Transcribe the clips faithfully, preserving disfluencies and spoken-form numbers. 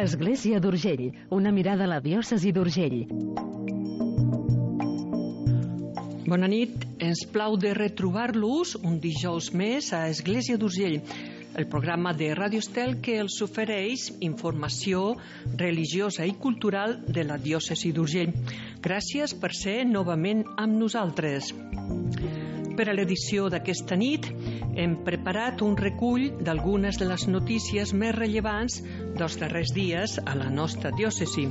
Església d'Urgell, una mirada a la diòcesi d'Urgell. Bona nit, ens plau de retrobar-los un dijous més a Església d'Urgell, el programa de Ràdio Estel que els ofereix informació religiosa i cultural de la diòcesi d'Urgell. Gràcies per ser novament amb nosaltres. Per a l'edició d'aquesta nit hem preparat un recull d'algunes de les notícies més rellevants dels darrers dies a la nostra diòcesi.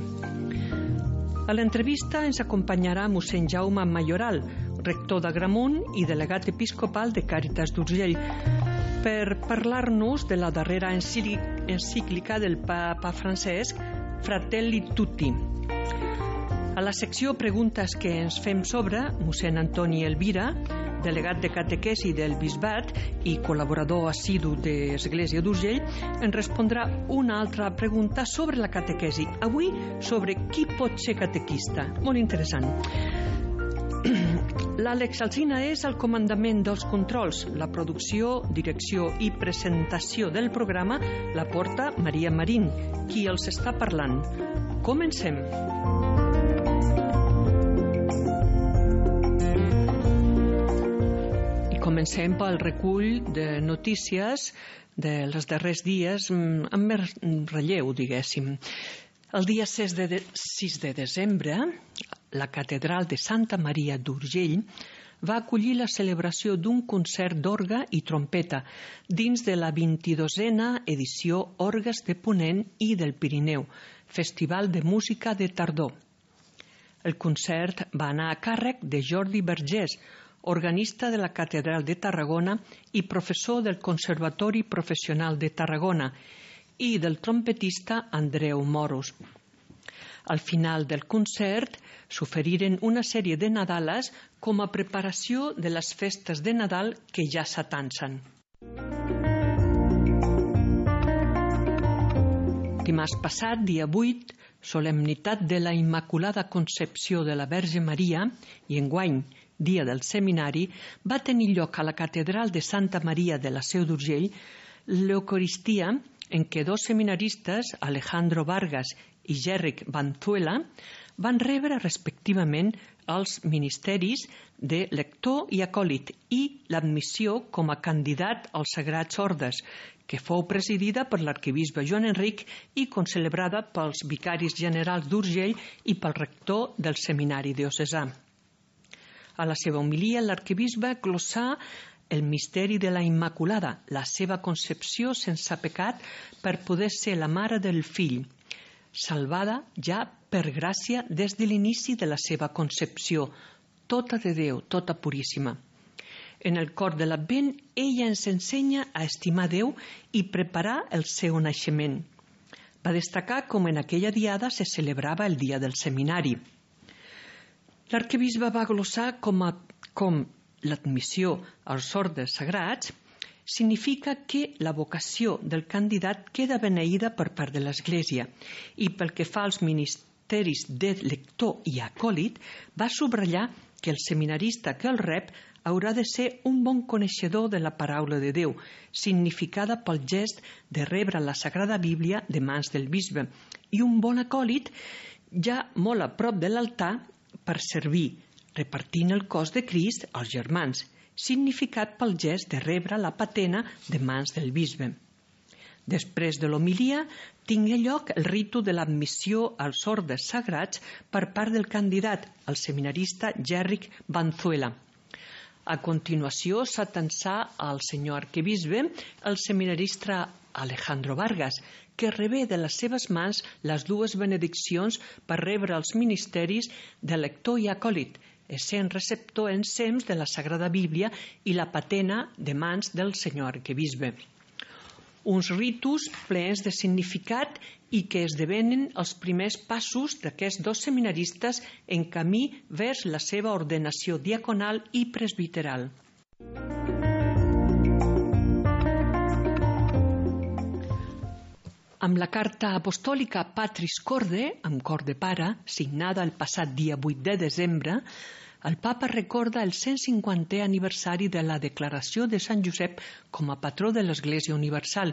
A l'entrevista ens acompanyarà mossèn Jaume Mayoral, rector d'Agramunt i delegat episcopal de Càritas d'Urgell, per parlar-nos de la darrera encíclica del papa Francesc, Fratelli Tutti. A la secció Preguntes que ens fem sobre, mossèn Antoni Elvira, delegat de catequesi del bisbat i col·laborador assidu d'Església d'Urgell, ens respondrà una altra pregunta sobre la catequesi. Avui sobre qui pot ser catequista. Molt interessant. L'Àlex Alsina és el comandament dels controls. La producció, direcció i presentació del programa la porta Maria Marín, qui els està parlant. Comencem. Comencem pel recull de notícies dels darrers dies amb més relleu, diguéssim. El dia sis de desembre, la catedral de Santa Maria d'Urgell va acollir la celebració d'un concert d'orgue i trompeta dins de la vint-i-dosena edició Orgues de Ponent i del Pirineu, Festival de Música de Tardor. El concert va anar a càrrec de Jordi Vergés, organista de la Catedral de Tarragona i professor del Conservatori Professional de Tarragona, i del trompetista Andreu Moros. Al final del concert s'oferiren una sèrie de nadales com a preparació de les festes de Nadal que ja s'atancen. Dimarts passat, dia vuit, solemnitat de la Immaculada Concepció de la Verge Maria, i enguany, dia del seminari, va tenir lloc a la catedral de Santa Maria de la Seu d'Urgell l'Eucaristia en què dos seminaristes, Alejandro Vargas i Gerric Banzuela, van rebre respectivament els ministeris de lector i acòlit i l'admissió com a candidat als Sagrats Ordes, que fou presidida per l'arquebisbe Joan Enric i concelebrada pels vicaris generals d'Urgell i pel rector del seminari diocesà. A la seva homilia, l'arquebisbe glossà el misteri de la Immaculada, la seva concepció sense pecat per poder ser la mare del fill, salvada ja per gràcia des de l'inici de la seva concepció, tota de Déu, tota puríssima. En el cor de l'Advent, ella ens ensenya a estimar Déu i preparar el seu naixement. Va destacar com en aquella diada se celebrava el dia del seminari. L'arquebisbe va glossar com, a, com l'admissió als ordes sagrats significa que la vocació del candidat queda beneïda per part de l'Església i pel que fa als ministeris de lector i acòlit va subratllar que el seminarista que el rep haurà de ser un bon coneixedor de la paraula de Déu, significada pel gest de rebre la Sagrada Bíblia de mans del bisbe, i un bon acòlit ja molt a prop de l'altar per servir, repartint el cos de Crist als germans, significat pel gest de rebre la patena de mans del bisbe. Després de l'homilia, tingué lloc el ritu de l'admissió als ordes sagrats per part del candidat, el seminarista Gerric Banzuela. A continuació s'atançà al senyor arquebisbe el seminarista Alejandro Vargas, que rebé de les seves mans les dues benediccions per rebre els ministeris de lector i acòlit, essent receptor ensems de la Sagrada Bíblia i la patena de mans del senyor arquebisbe. Uns ritus plens de significat i que esdevenen els primers passos d'aquests dos seminaristes en camí vers la seva ordenació diaconal i presbiteral. Amb la carta apostòlica Patris Corde, amb cor de pare, signada el passat dia vuit de desembre, El papa recorda el cent cinquantè aniversari de la declaració de Sant Josep com a patró de l'Església Universal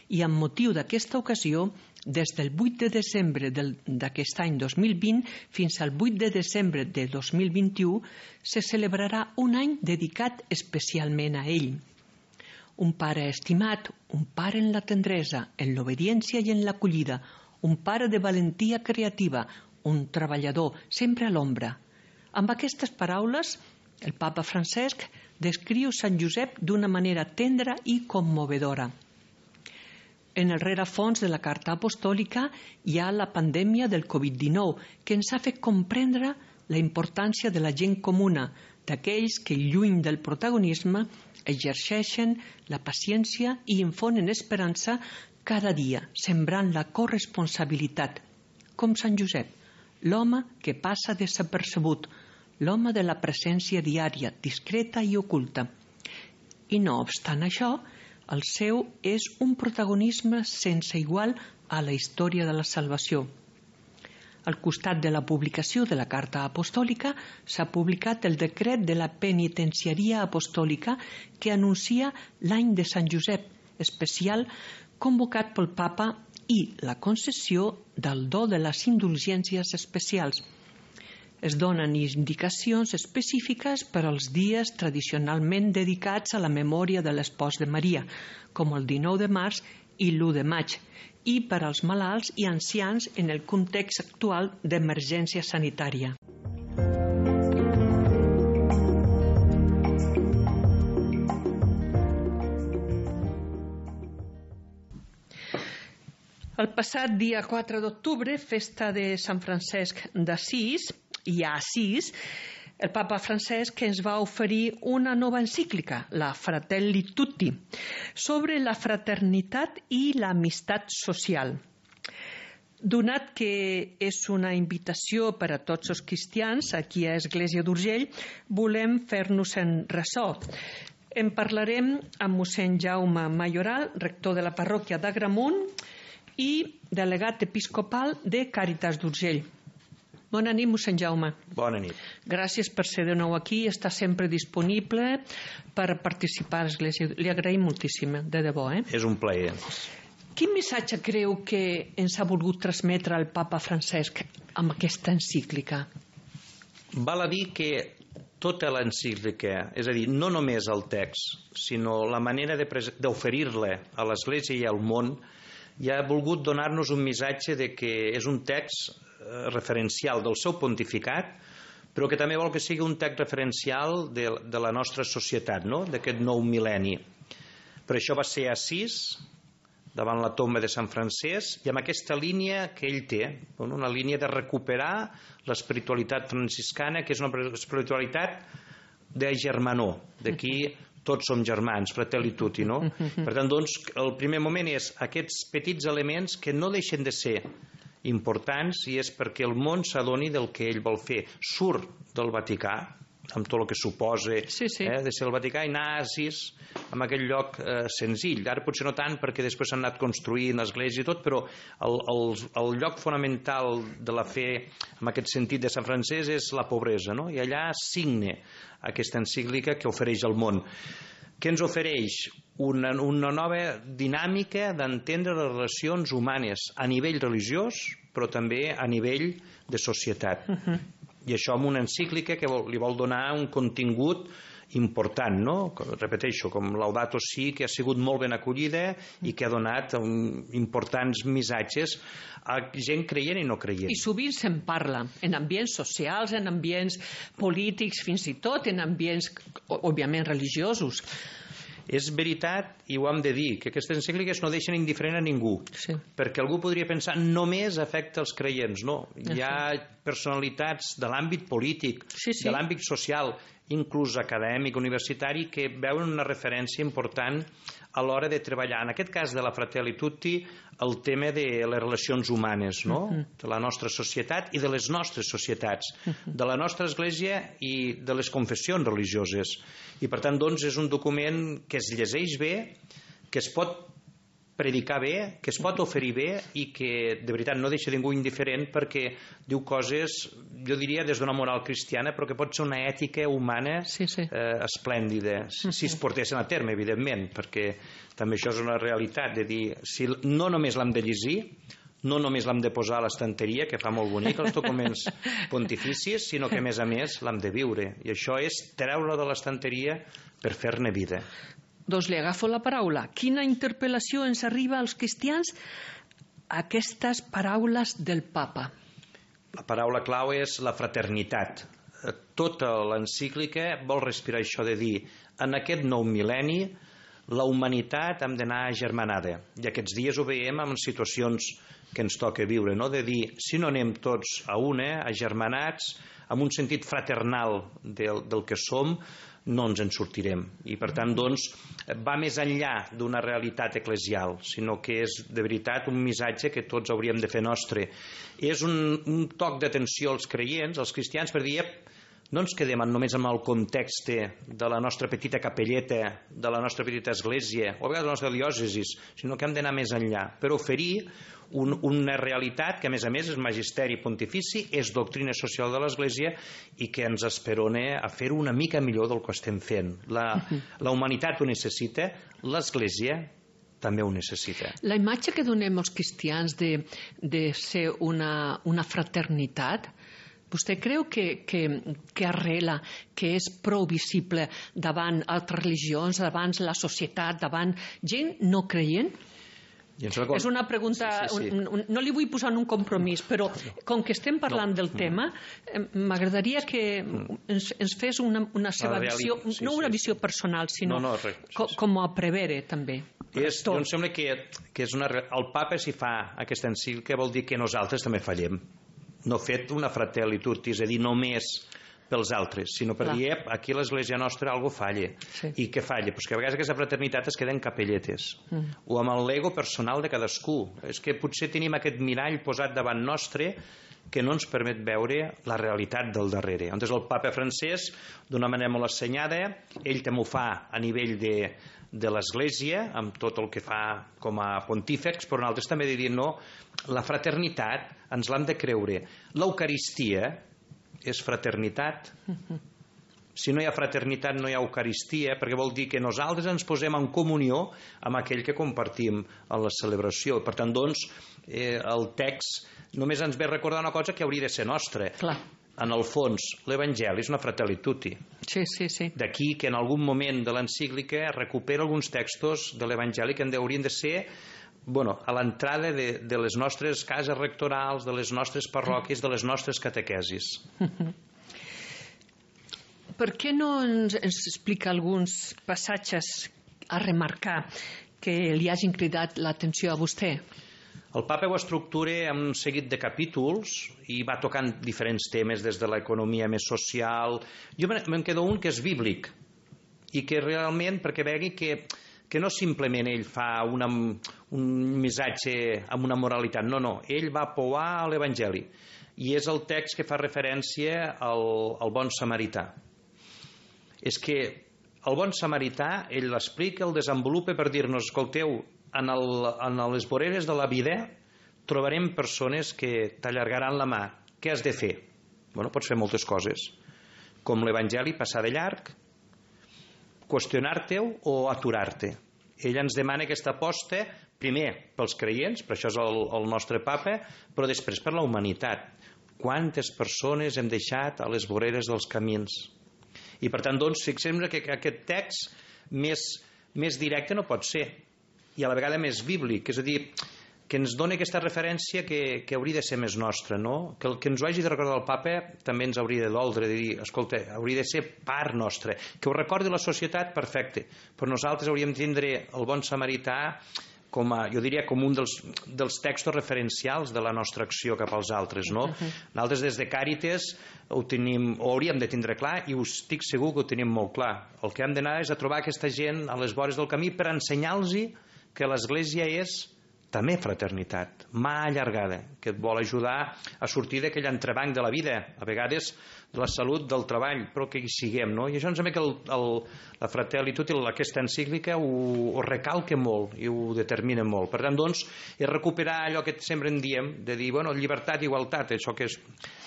i amb motiu d'aquesta ocasió, des del vuit de desembre d'aquest any dos mil vint fins al vuit de desembre de dos mil vint-i-u se celebrarà un any dedicat especialment a ell. Un pare estimat, un pare en la tendresa, en l'obediència i en l'acollida, un pare de valentia creativa, un treballador, sempre a l'ombra. Amb aquestes paraules, el papa Francesc descriu Sant Josep d'una manera tendra i commovedora. En el rerefons de la carta apostòlica hi ha la pandèmia del covid dinou, que ens ha fet comprendre la importància de la gent comuna, d'aquells que, lluny del protagonisme, exerceixen la paciència i infonen esperança cada dia, sembrant la corresponsabilitat, com Sant Josep, l'home que passa desapercebut, l'home de la presència diària, discreta i oculta. I no obstant això, el seu és un protagonisme sense igual a la història de la salvació. Al costat de la publicació de la Carta Apostòlica s'ha publicat el decret de la Penitenciaria Apostòlica que anuncia l'any de Sant Josep, especial convocat pel Papa i la concessió del do de les indulgències especials. Es donen indicacions específiques per als dies tradicionalment dedicats a la memòria de l'espòs de Maria, com el dinou de març i l'u de maig, i per als malalts i ancians en el context actual d'emergència sanitària. El passat dia quatre d'octubre, festa de Sant Francesc d'Assís, i a Assís, el papa Francesc ens va oferir una nova encíclica, la Fratelli Tutti, sobre la fraternitat i l'amistat social. Donat que és una invitació per a tots els cristians aquí a Església d'Urgell, volem fer-nos en ressò. En parlarem amb mossèn Jaume Mayoral, rector de la parròquia d'Agramunt i delegat episcopal de Càritas d'Urgell. Bona nit, mossèn Jaume. Bona nit. Gràcies per ser de nou aquí, està sempre disponible per participar a l'Església. Li agraïm moltíssim, de debò. Eh? És un plaer. Quin missatge creu que ens ha volgut transmetre el papa Francesc amb aquesta encíclica? Val a dir que tota l'encíclica, és a dir, no només el text, sinó la manera d'oferir-la a l'Església i al món, ja ha volgut donar-nos un missatge de que és un text referencial del seu pontificat, però que també vol que sigui un text referencial de, de la nostra societat, no? D'aquest nou mil·lenni. Per això va ser a Assís, davant la tomba de Sant Francesc, i amb aquesta línia que ell té, una línia de recuperar l'espiritualitat franciscana, que és una espiritualitat de germanor, d'aquí tots som germans, fratelli tutti, no? Per tant, doncs, el primer moment és aquests petits elements que no deixen de ser importants i és perquè el món s'adoni del que ell vol fer. Surt del Vaticà, amb tot el que suposa sí, sí. Eh, de ser el Vaticà, i anar a Assís, en aquell lloc eh, senzill. Ara potser no tant, perquè després s'han anat construint església i tot, però el, el, el lloc fonamental de la fe, en aquest sentit de Sant Francesc, és la pobresa, no? I allà signa aquesta encíclica que ofereix al món. Què ens ofereix? Una, una nova dinàmica d'entendre les relacions humanes a nivell religiós, però també a nivell de societat. Uh-huh. I això amb una encíclica que vol, li vol donar un contingut important, no? Repeteixo, com Laudato Si, que ha sigut molt ben acollida i que ha donat un, importants missatges a gent creient i no creient. I sovint se'n parla, en ambients socials, en ambients polítics, fins i tot en ambients, òbviament, religiosos. És veritat, i ho hem de dir, que aquestes encícliques no deixen indiferent a ningú, sí. Perquè algú podria pensar només afecta els creients. No, hi ha personalitats de l'àmbit polític, sí, sí. de l'àmbit social, inclús acadèmic, universitari, que veuen una referència important a l'hora de treballar, en aquest cas de la Fratelli Tutti, el tema de les relacions humanes, no? Uh-huh. De la nostra societat i de les nostres societats, uh-huh. de la nostra església i de les confessions religioses. I per tant, doncs, és un document que es llegeix bé, que es pot predicar bé, que es pot oferir bé i que de veritat no deixa ningú indiferent perquè diu coses, jo diria des d'una moral cristiana, però que pot ser una ètica humana sí, sí. Eh, esplèndida, si, si es portessin a terme, evidentment, perquè també això és una realitat, de dir, si no només l'hem de llegir, no només l'hem de posar a l'estanteria, que fa molt bonic els documents pontificis, sinó que a més a més l'hem de viure, i això és treure-lo de l'estanteria per fer-ne vida. Doncs li agafo la paraula. Quina interpel·lació ens arriba als cristians a aquestes paraules del papa? La paraula clau és la fraternitat. Tota l'encíclica vol respirar això de dir, en aquest nou mil·lenni la humanitat hem d'anar agermanada, i aquests dies ho veiem en situacions que ens toca viure, no? De dir, si no anem tots a una, agermanats, amb un sentit fraternal del, del que som, no ens en sortirem. I per tant, doncs, va més enllà d'una realitat eclesial, sinó que és de veritat un missatge que tots hauríem de fer nostre. És un, un toc d'atenció als creients, als cristians, per dir, no ens quedem només amb el context de la nostra petita capelleta, de la nostra petita església, o a vegades de la nostra diòcesi, sinó que hem d'anar més enllà, per oferir un, una realitat que a més a més és magisteri pontifici, és doctrina social de l'Església i que ens esperona a fer-ho una mica millor del que estem fent. La, la humanitat ho necessita, l'Església també ho necessita. La imatge que donem als cristians de, de ser una, una fraternitat, vostè creu que, que, que arrela, que és prou visible davant altres religions, davant la societat, davant gent no creient? És una pregunta, sí, sí, sí. Un, un, no li vull posar en un compromís, però com que estem parlant no. del tema, m'agradaria que ens, ens fes una, una seva visió, sí, no una sí. visió personal, sinó no, no, res, sí, sí. com a prevere també. És, jo em sembla que, que és una, el papa, si fa aquesta encíclica, vol dir que nosaltres també fallem. No ha fet una fratelli tutti, és a dir, només pels altres, sinó per Clar. dir, ep, aquí l'Església nostra algo falla. Sí. I què falla? Pues que a vegades aquesta fraternitat es queda en capelletes, mm. o amb l'ego personal de cadascú. És que potser tenim aquest mirall posat davant nostre que no ens permet veure la realitat del darrere. Llavors el papa francès, d'una manera molt assenyada, ell també ho fa a nivell de, de l'Església, amb tot el que fa com a pontífex, però nosaltres també de dir, no, la fraternitat ens l'hem de creure. L'Eucaristia és fraternitat. Si no hi ha fraternitat no hi ha Eucaristia, perquè vol dir que nosaltres ens posem en comunió amb aquell que compartim en la celebració. Per tant, doncs, eh, el text només ens ve recordar una cosa que hauria de ser nostra. Clar. En el fons, l'Evangeli és una fratelli tutti. Sí, sí, sí. D'aquí que en algun moment de l'encíclica recupera alguns textos de l'Evangeli que haurien de ser bueno, a l'entrada de, de les nostres cases rectorals, de les nostres parròquies, de les nostres catequesis. Per què no ens, ens explica alguns passatges a remarcar que li hagin cridat l'atenció a vostè? El papa ho estructura en un seguit de capítols i va tocant diferents temes des de l'economia més social. Jo me'n quedo un que és bíblic i que realment, perquè vegi que que no simplement ell fa una, un missatge amb una moralitat, no, no, ell va pouar a l'Evangeli i és el text que fa referència al, al bon samarità. És que el bon samarità, ell l'explica, el desenvolupa per dir-nos, escolteu, en, el, en les voreres de la vida trobarem persones que t'allargaran la mà. Què has de fer? Bueno, pots fer moltes coses, com l'Evangeli, passar de llarg, qüestionar-te-ho o aturar-te. Ell ens demana aquesta aposta, primer pels creients, per això és el, el nostre papa, però després per la humanitat. Quantes persones hem deixat a les voreres dels camins? I per tant, doncs, fixem-nos que aquest text més, més directe no pot ser, i a la vegada més bíblic, és a dir, que ens dona aquesta referència que, que hauria de ser més nostra, no? Que el que ens ho hagi de recordar el papa també ens hauria de doldre, de dir, escolta, hauria de ser part nostra. Que ho recordi la societat, perfecte, però nosaltres hauríem de tindre el bon samarità com a, jo diria, com un dels, dels textos referencials de la nostra acció cap als altres, no? Uh-huh. Nosaltres des de Càritas ho tenim, ho hauríem de tindre clar i us estic segur que ho tenim molt clar. El que hem d'anar és a trobar aquesta gent a les vores del camí per ensenyar-los que l'Església és també fraternitat, mà allargada, que et vol ajudar a sortir d'aquell entrebanc de la vida, a vegades de la salut, del treball, però que hi siguem, no? I això em sembla que el, el, la Fratelli Tutti, aquesta encíclica, ho, ho recalca molt i ho determina molt. Per tant, doncs, és recuperar allò que sempre en diem, de dir, bueno, llibertat, igualtat, això que és,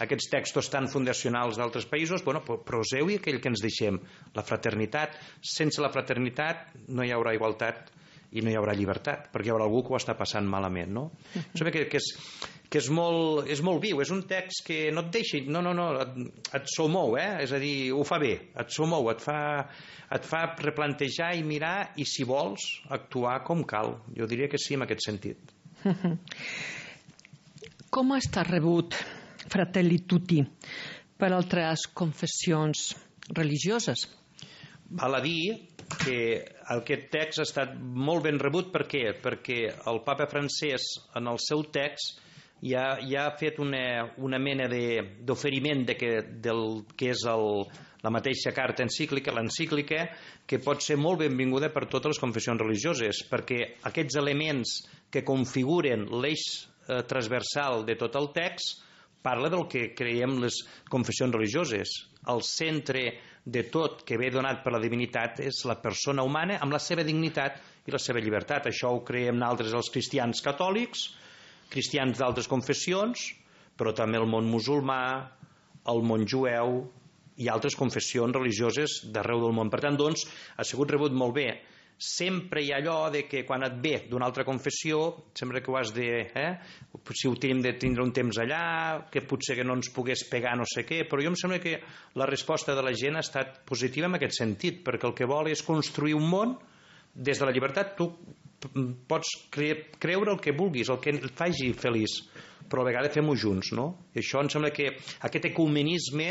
aquests textos tan fundacionals d'altres països, bueno, proseu-hi aquell que ens deixem, la fraternitat. Sense la fraternitat no hi haurà igualtat i no hi haurà llibertat, perquè hi haurà algú que ho està passant malament, no? Uh-huh. Sembla que, que, és, que és, molt, és molt viu, és un text que no et deixi, no, no, no, et, et somou, eh? És a dir, ho fa bé, et somou, et fa, et fa replantejar i mirar, i si vols, actuar com cal. Jo diria que sí, en aquest sentit. Uh-huh. Com ha estat rebut Fratelli Tutti per altres confessions religioses? Val a dir que aquest text ha estat molt ben rebut. Per què? Perquè el papa francès en el seu text ja, ja ha fet una, una mena d'oferiment de, de que, del que és el, la mateixa carta encíclica, l'encíclica, que pot ser molt benvinguda per totes les confessions religioses, perquè aquests elements que configuren l'eix eh, transversal de tot el text parla del que creiem les confessions religioses. El centre de tot que ve donat per la divinitat és la persona humana amb la seva dignitat i la seva llibertat. Això ho creiem nosaltres els cristians catòlics, cristians d'altres confessions, però també el món musulmà, el món jueu i altres confessions religioses d'arreu del món. Per tant, doncs, ha sigut rebut molt bé. Sempre hi ha allò de que quan et ve d'una altra confessió, sempre que ho has de... Eh, si ho tenim de tindre un temps allà, que potser que no ens pogués pegar no sé què, però jo em sembla que la resposta de la gent ha estat positiva en aquest sentit, perquè el que vol és construir un món des de la llibertat. Tu pots cre creure el que vulguis, el que et faci feliç, però a vegades fem-ho junts, no? I això em sembla que aquest ecumenisme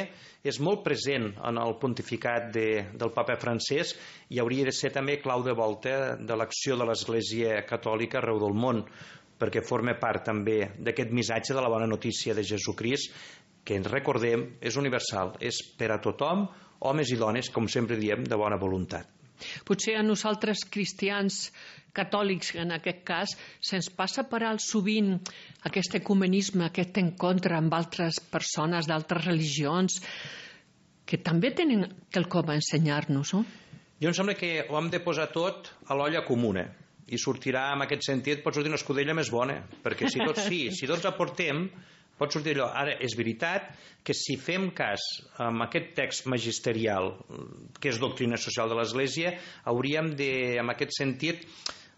és molt present en el pontificat de, del papa francès i hauria de ser també clau de volta de l'acció de l'Església Catòlica arreu del món, perquè forma part també d'aquest missatge de la bona notícia de Jesucrist, que ens recordem és universal, és per a tothom, homes i dones, com sempre diem, de bona voluntat. Potser a nosaltres cristians catòlics, en aquest cas, se'ns passa per alt sovint aquest ecumenisme, aquest encontre amb altres persones d'altres religions que també tenen quelcom a ensenyar-nos, no? Jo em sembla que ho hem de posar tot a l'olla comuna i sortirà, en aquest sentit, pot sortir una escudella més bona, perquè si tots, sí, si tots aportem, pot sortir allò. Ara, és veritat que si fem cas amb aquest text magisterial, que és doctrina social de l'Església, hauríem de, en aquest sentit,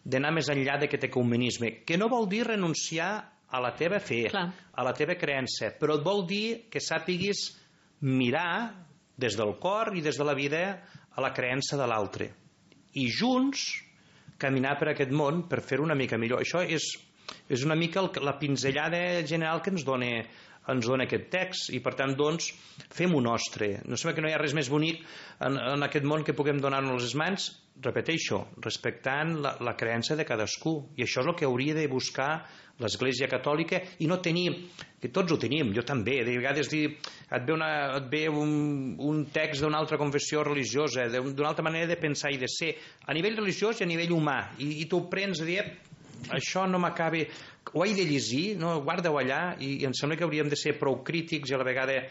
d'anar més enllà d'aquest ecumenisme, que no vol dir renunciar a la teva fe, Clar. a la teva creença, però et vol dir que sàpiguis mirar des del cor i des de la vida a la creença de l'altre. I junts caminar per aquest món per fer-ho una mica millor. Això és, és una mica el, la pinzellada general que ens dona, ens dona aquest text, i per tant, doncs, fem-ho nostre. No sembla que no hi ha res més bonic en, en aquest món que puguem donar-nos les mans, repeteixo, respectant la, la creença de cadascú. I això és el que hauria de buscar l'Església Catòlica, i no tenir, que tots ho tenim, jo també, de vegades dir, et ve, una, et ve un, un text d'una altra confessió religiosa, d'una altra manera de pensar i de ser, a nivell religiós i a nivell humà, i, i tu ho prens a dir, això no m'acaba, ho he de llegir, no? Guarda-ho allà, i, i em sembla que hauríem de ser prou crítics i a la vegada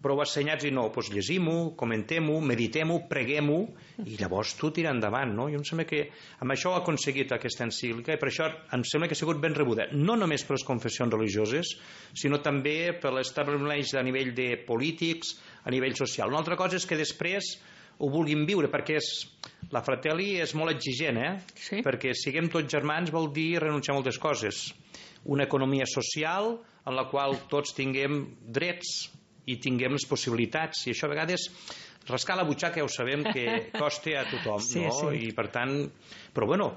prou assenyats, i no, doncs llegim-ho, comentem-ho, meditem-ho, preguem-ho, i llavors tu tira endavant, no? Jo em sembla que amb això ho ha aconseguit aquesta encíclica, i per això em sembla que ha sigut ben rebuda, no només per les confessions religioses, sinó també per l'establiment a nivell de polítics, a nivell social. Una altra cosa és que després ho vulguin viure, perquè és, la Fratelli és molt exigent, eh? Sí. Perquè siguem tots germans vol dir renunciar a moltes coses. Una economia social en la qual tots tinguem drets i tinguem les possibilitats, i això a vegades rascar la butxaca ja ho sabem que costa a tothom, sí, no? Sí. I per tant, però bueno,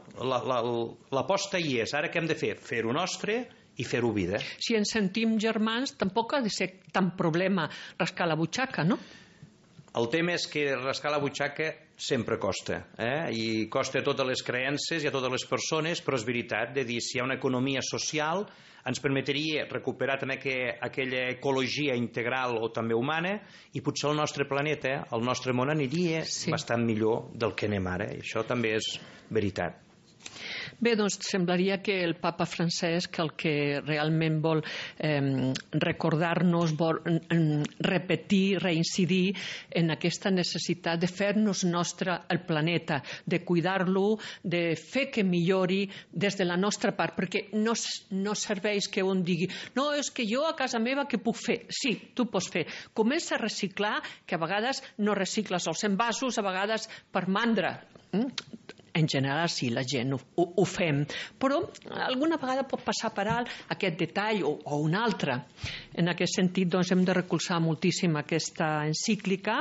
l'aposta hi és. Ara què hem de fer? Fer-ho nostre i fer-ho vida. Si ens sentim germans, tampoc ha de ser tan problema rascar la butxaca, no? El tema és que rascar la butxaca sempre costa, eh? I costa a totes les creences i a totes les persones, però és veritat, de dir, si hi ha una economia social, ens permetria recuperar també que, aquella ecologia integral o també humana, i potser el nostre planeta, el nostre món aniria sí. bastant millor del que anem ara, i això també és veritat. Bé, doncs semblaria que el papa Francesc el que realment vol eh, recordar-nos, vol eh, repetir, reincidir en aquesta necessitat de fer-nos nostre el planeta, de cuidar-lo, de fer que millori des de la nostra part, perquè no, no serveix que un digui no, és que jo a casa meva què puc fer? Sí, tu pots fer. Comença a reciclar, que a vegades no recicles els envasos, a vegades per mandra. En general sí, la gent ho, ho, ho fem, però alguna vegada pot passar per alt aquest detall o, o un altre. En aquest sentit, doncs, hem de recolzar moltíssim aquesta encíclica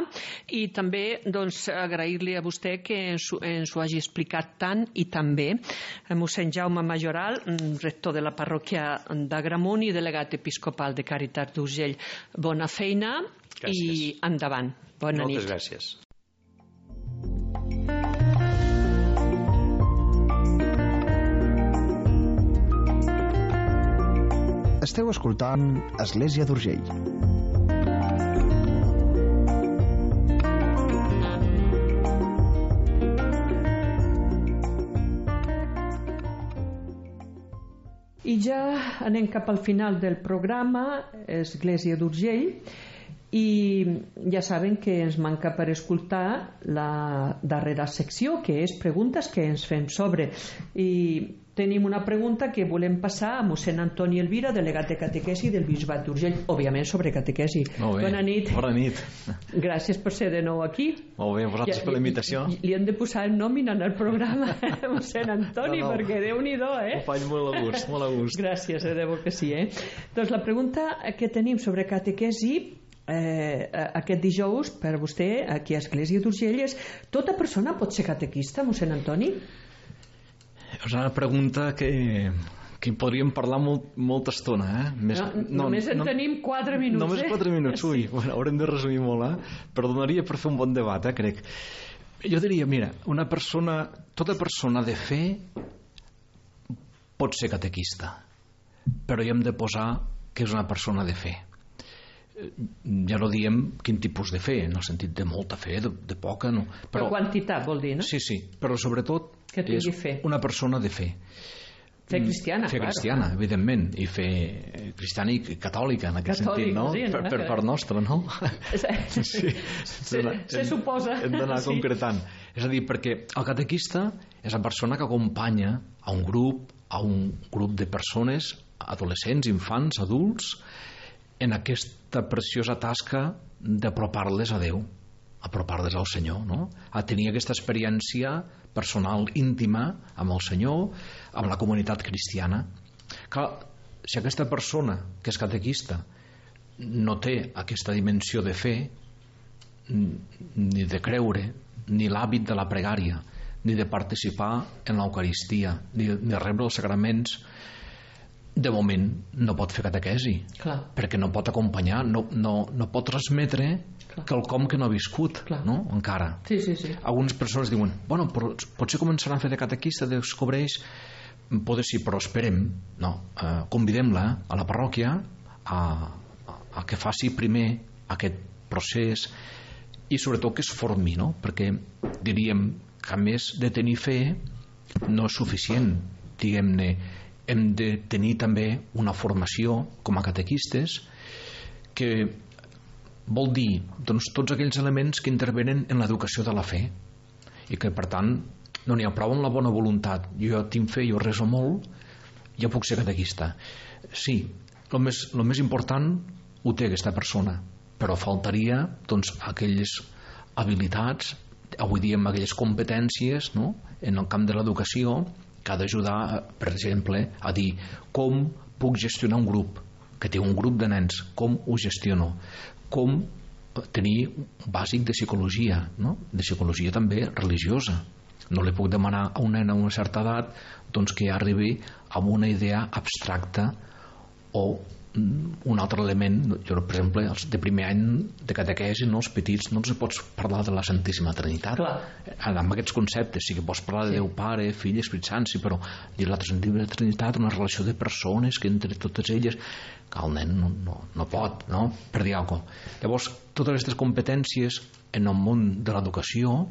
i també doncs, agrair-li a vostè que ens, ens ho hagi explicat tant i tan bé. Mossèn Jaume Majoral, rector de la parròquia d'Agramunt i delegat episcopal de Càritas d'Urgell. Bona feina. Gràcies. I endavant. Bona Moltes nit. gràcies. Esteu escoltant Església d'Urgell. I ja anem cap al final del programa, Església d'Urgell, i ja saben que ens manca per escoltar la darrera secció, que és preguntes que ens fem sobre. I tenim una pregunta que volem passar a mossèn Antoni Elvira, delegat de catequesi del Bisbat d'Urgell, òbviament sobre catequesi. Molt bé. Bona nit. Bona nit. Gràcies per ser de nou aquí. Molt bé, vosaltres ja, per la invitació. Li, li hem de posar el nòmina en el programa, mossèn Antoni, no, no. perquè Déu-n'hi-do, eh? Ho faig molt a gust, molt a gust. Gràcies, de debò que sí, eh? Doncs la pregunta que tenim sobre catequesi eh, aquest dijous per vostè aquí a Església d'Urgell és: tota persona pot ser catequista, mossèn Antoni? És una pregunta que, que podríem parlar molt, molta estona, eh? Més, no, no, només en no, tenim quatre minuts. Només eh? quatre minuts, ui, sí. Bueno, haurem de resumir molt, eh? Però donaria per fer un bon debat, eh, crec. Jo diria, mira, una persona, tota persona de fe pot ser catequista, però hi hem de posar que és una persona de fe. Ja no diem quin tipus de fe, en el sentit de molta fe, de, de poca, no. Però, però quantitat vol dir, no? Sí, sí, però sobretot que tingui és fe. Una persona de fe. Fe cristiana, fe clar. cristiana, evidentment, i fe cristiana i catòlica, en aquest Catòlic, sentit, no? Sí, per, per part nostra, no? Sí, sí. Se, se suposa. Hem d'anar sí. concretant. És a dir, perquè el catequista és la persona que acompanya a un grup, a un grup de persones, adolescents, infants, adults, en aquesta preciosa tasca d'apropar-les a Déu, apropar-les al Senyor, no? A tenir aquesta experiència personal, íntima, amb el Senyor, amb la comunitat cristiana. Clar, si aquesta persona que és catequista no té aquesta dimensió de fe, ni de creure, ni l'hàbit de la pregària, ni de participar en l'Eucaristia, ni de rebre els sagraments, de moment no pot fer catequesi. Clar. Perquè no pot acompanyar, no, no, no pot transmetre Clar. quelcom que no ha viscut, no? Encara. Sí, sí, sí. Algunes persones diuen, bueno, però potser començaran a fer de catequista, descobreix, poder sí, però esperem, no, eh, convidem-la a la parròquia a, a, a que faci primer aquest procés i sobretot que es formi, no? Perquè diríem que a més de tenir fe no és suficient, diguem-ne, hem de tenir també una formació com a catequistes que vol dir doncs, tots aquells elements que intervenen en l'educació de la fe i que per tant no n'hi ha prou amb la bona voluntat, jo tinc fe, jo reso molt, ja puc ser catequista. Sí, el més, el més important ho té aquesta persona, però faltaria doncs, aquelles habilitats, avui diem aquelles competències, no? En el camp de l'educació, que ha d'ajudar, per exemple, a dir com puc gestionar un grup, que té un grup de nens, com ho gestiono, com tenir un bàsic de psicologia, no? De psicologia també religiosa. No li puc demanar a un nen a una certa edat doncs, que arribi amb una idea abstracta o un altre element. Jo, per exemple, els de primer any de catequesi, no, els petits, no els pots parlar de la Santíssima Trinitat. Clar. Amb aquests conceptes sí que pots parlar de sí. Déu Pare, Fill, Espírit Sant, sí, però dir la Santíssima Trinitat, una relació de persones que entre totes elles, que el nen no, no, no pot, no? Per dir alguna cosa. Llavors, totes aquestes competències en el món de l'educació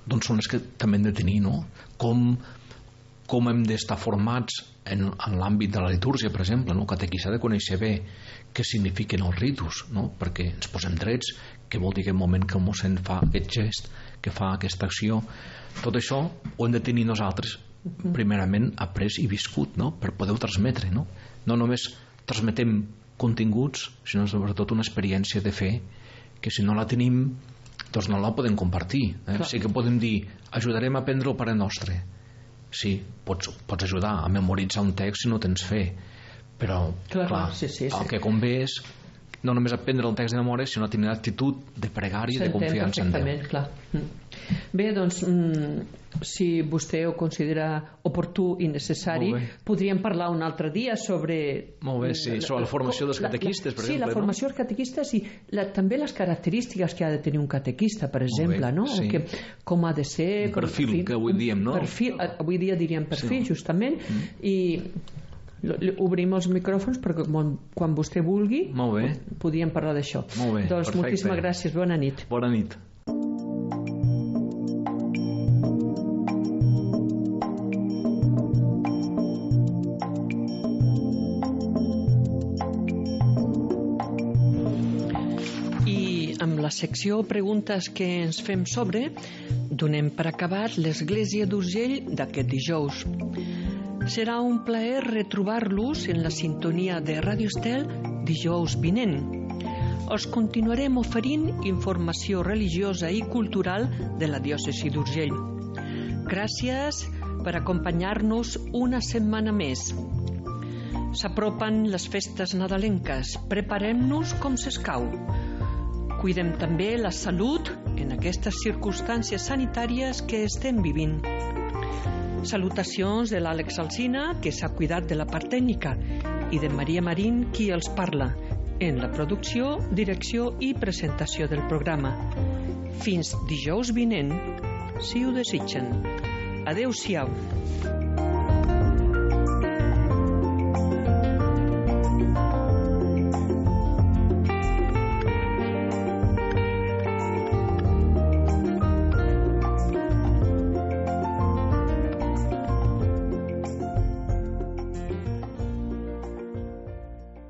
doncs són les que també hem de tenir, no? Com com hem d'estar formats en, en l'àmbit de la litúrgia, per exemple, no? El catequista ha de conèixer bé què signifiquen els ritus, no? Perquè ens posem drets, què vol dir aquest moment que el mossèn fa aquest gest, que fa aquesta acció. Tot això ho hem de tenir nosaltres primerament après i viscut, no? Per poder-ho transmetre, no? No només transmetem continguts, sinó sobretot una experiència de fe que si no la tenim doncs no la podem compartir, eh? Sí que podem dir ajudarem a aprendre el Pare Nostre. Sí, pots, pots ajudar a memoritzar un text si no tens fe, però clar, clar, sí, sí, sí. el que convé és no només aprendre el text de memòria, sinó tenir l'actitud de pregària i de confiança en Déu. Clar. Bé, doncs, mm, si vostè ho considera oportú i necessari, podríem parlar un altre dia sobre... Molt bé, sí, sobre la formació dels catequistes, per sí, exemple. Sí, la formació dels catequistes i la, també les característiques que ha de tenir un catequista, per exemple, no? Sí. Que, com ha de ser... Un perfil, com, que avui diem, no? Perfil, avui dia diríem perfil, sí. Justament, mm. i... obrim els micròfons perquè quan vostè vulgui podíem parlar d'això. Doncs perfecte. Moltíssimes gràcies, bona nit. Bona nit. I amb la secció preguntes que ens fem sobre donem per acabat l'Església d'Urgell d'aquest dijous. Serà un plaer retrobar-los en la sintonia de Ràdio Estel dijous vinent. Us continuarem oferint informació religiosa i cultural de la diòcesi d'Urgell. Gràcies per acompanyar-nos una setmana més. S'apropen les festes nadalenques. Preparem-nos com s'escau. Cuidem també la salut en aquestes circumstàncies sanitàries que estem vivint. Salutacions de l'Àlex Alsina, que s'ha cuidat de la part tècnica, i de Maria Marín, qui els parla, en la producció, direcció i presentació del programa. Fins dijous vinent, si ho desitgen. Adéu-siau.